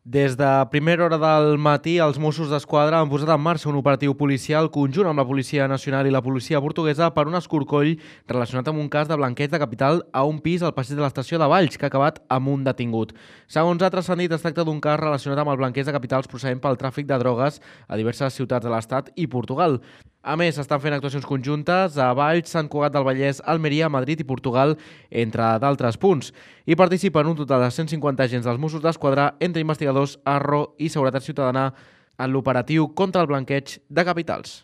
Des de primera hora del matí, els Mossos d'Esquadra han posat en marxa un operatiu policial conjunt amb la Policia Nacional i la policia portuguesa per un escorcoll relacionat amb un cas de blanqueig de capital a un pis al passeig de l'estació de Valls, que ha acabat amb un detingut. Segons ha transcendit, es tracta d'un cas relacionat amb el blanqueig de capitals procedent pel tràfic de drogues a diverses ciutats de l'Estat i Portugal. A més, s'estan fent actuacions conjuntes a Valls, Sant Cugat del Vallès, Almeria, Madrid i Portugal, entre d'altres punts. Hi participen un total de 150 agents dels Mossos d'Esquadra, entre investigadors, Arro i Seguretat Ciutadana, en l'operatiu contra el blanqueig de capitals.